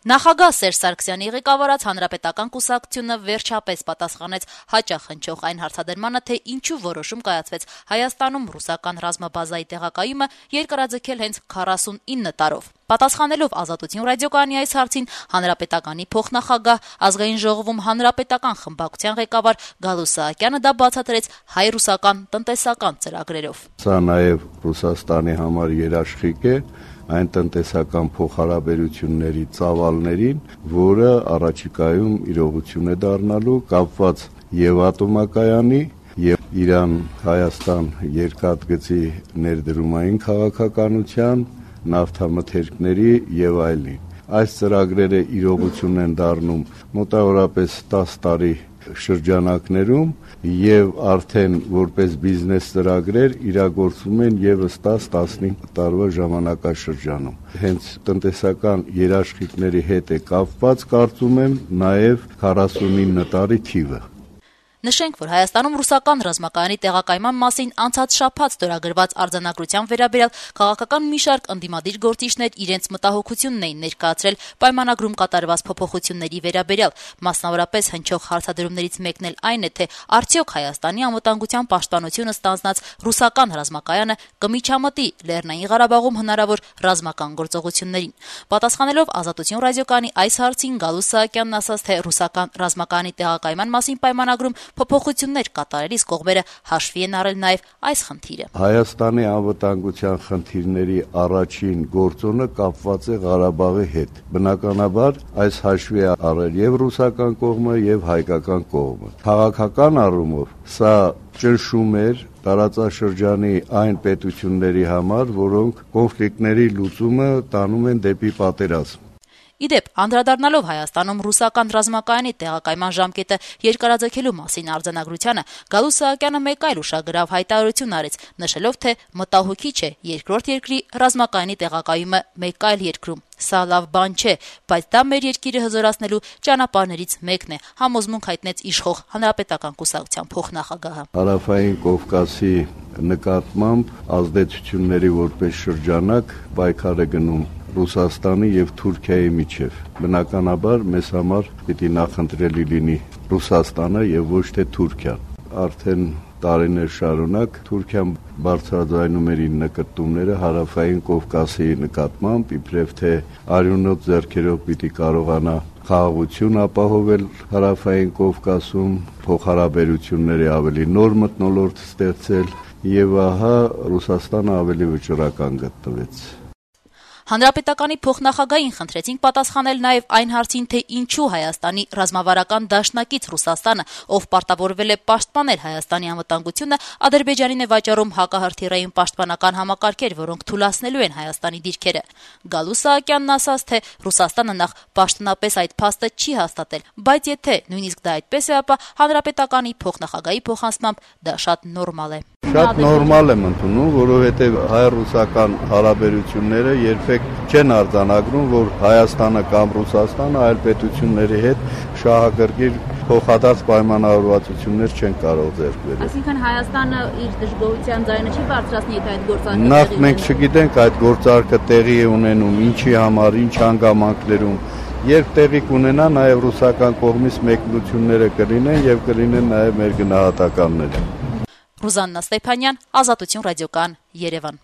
Նախագահ Սերժ Սարգսյանի ղեկավարած Հանրապետական կուսակցությունը վերջապես պատասխանեց հաճախ հնչող այն հարցադրմանը, թե ինչու որոշում կայացվեց Հայաստանում ռուսական ռազմաբազայի տեղակայումը երկարաձգել հենց 49 տարով։ Պատասխանելով Ազատություն ռադիոկայանի այս հարցին Հանրապետականի փոխնախագահ, Ազգային ժողովում Հանրապետական խմբակցության ղեկավար Գալու Սահակյանը դա բացատրեց հայ-ռուսական տնտեսական ծրագրերով։ Սա նաև Ռուսաստանի համար երաշխիք է այն տնտեսական փոխհարաբերությունների ծավալներին, որը առաջիկայում իրողություն է դառնալու կապված եւ ատոմակայանի եւ Իրան-Հայաստան երկաթգծի ներդրումային քաղաքականության, նավթամթերքների եւ այլն։ Այս ծրագրերը իրողություն են դառնում մոտավորապես 10 տարի շրջանակներում եւ արդեն որպես բիզնես ծրագրեր իրագործվում են եւս 10-15 տարվա ժամանակաշրջանում։ Հենց տնտեսական երաշխիքների հետ է կապված, կարծում եմ, նաեւ 49 տարի թիվը։ Նշենք, որ Հայաստանում ռուսական ռազմակայանի տեղակայման մասին անցած շաբաթ ստորագրված արձանագրության վերաբերյալ քաղաքական մի շարք ընդդիմադիր գործիչներ իրենց մտահոգությունն էին ներկայացրել պայմանագրում կատարված փոփոխությունների վերաբերյալ։ Մասնավորապես հնչող հարցադրումներից մեկն էլ այն է, թե արդյոք Հայաստանի անվտանգության պաշտպանությունը ստանձնած ռուսական ռազմակայանը կմիջամտի Լեռնային Ղարաբաղում հնարավոր ռազմական գործողություններին։ Պատասխանելով Ազատություն ռադիոկայանի այս հարցին Գալու Սահակյանն ասաց, թե ռուսական ռազմակայանի տեղակայման մասին պայմանագրում փոփոխություններ կատարելիս կողմերը հաշվի են առել նաև այս խնդիրը։ Հայաստանի անվտանգության խնդիրների առաջին գործոնը կապված է Ղարաբաղի հետ։ Բնականաբար այս հաշվի է առել եւ ռուսական կողմը եւ հայկական կողմը։ Քաղաքական առումով սա ճնշում էր տարածաշրջանի այն պետությունների համար, որոնք կոնֆլիկտների լուծումը տանում են դեպի պատերազմ։ Իդեպ, անդրադառնալով Հայաստանում ռուսական ռազմակայանի տեղակայման ժամկետը երկարաձգելու մասին արձանագրությանը, Գալու Սահակյանը մեկ այլ ուշագրավ հայտարարություն արեց, նշելով, թե մտահոգիչ է երկրորդ երկրի ռազմակայանի տեղակայումը մեկ այլ երկրում։ Սա լավ բան չէ, բայց դա մեր երկիրը հզորացնելու ճանապարհներից մեկն է, համոզմունք հայտնեց իշխող Հանրապետական կուսակցության փոխնախագահը։ Հարավային Կովկասի նկատմամբ ազդեցությունների որպես շրջանակ պայքար է գնում Ռուսաստանի եւ Թուրքիայի միջև։ Բնականաբար մեզ համար պիտի նախընտրելի լինի Ռուսաստանը եւ ոչ թե Թուրքիան։ Արդեն տարիներ շարունակ Թուրքիան բարձրաձայնում էր իր նկատումները Հարավային Կովկասի նկատմամբ, իբրև թե արյունոտ ձեռքերով պիտի կարողանա խաղաղություն ապահովել Հարավային Կովկասում, փոխհարաբերությունների ավելի նոր մթնոլորտ ստեղծել, եւ ահա Ռուսաստանը ավելի վճռական գտնվեց։ Հանրապետականի փոխնախագահին խնդրեցինք պատասխանել նաև այն հարցին, թե ինչու Հայաստանի ռազմավարական դաշնակից Ռուսաստանը, ով պարտավորվել է պաշտպանել Հայաստանի անվտանգությունը, Ադրբեջանին է վաճառում հակահրթիռային պաշտպանական համակարգեր, որոնք թուլացնելու են Հայաստանի դիրքերը։ Գալու Սահակյանն ասաց, թե Ռուսաստանը նախ պաշտոնապես այդ փաստը չի հաստատել, բայց եթե նույնիսկ դա այդպես է, ապա Հանրապետականի փոխնախագահի փոխանցմամբ դա շատ նորմալ է։ Շատ նորմալ եմ ընդունում, որովհետև հայ-ռուսական հարաբերությունները երբեք չեն արձանագրում, որ Հայաստանը կամ Ռուսաստանը այլ պետությունների հետ շահագրգիռ փոխադարձ պայմանավորվածություններ չեն կարող ձեռք բերել։ Այսինքն Հայաստանը իր դժգոհության ձայնը չի բարձրացնի, եթե այդ գործարքը նախ մենք չգիտենք այդ գործարքը տեղի է ունենում, ինչի համար, ինչ հանգամանքներում։ Երբ տեղի կունենա, նաև ռուսական կողմից մեկնությունները կլինեն եւ կլինեն նաև մեր գնահատականները։ Ռուզաննա Ստեփանյան, Ազատություն ռադիոկայան, Երևան։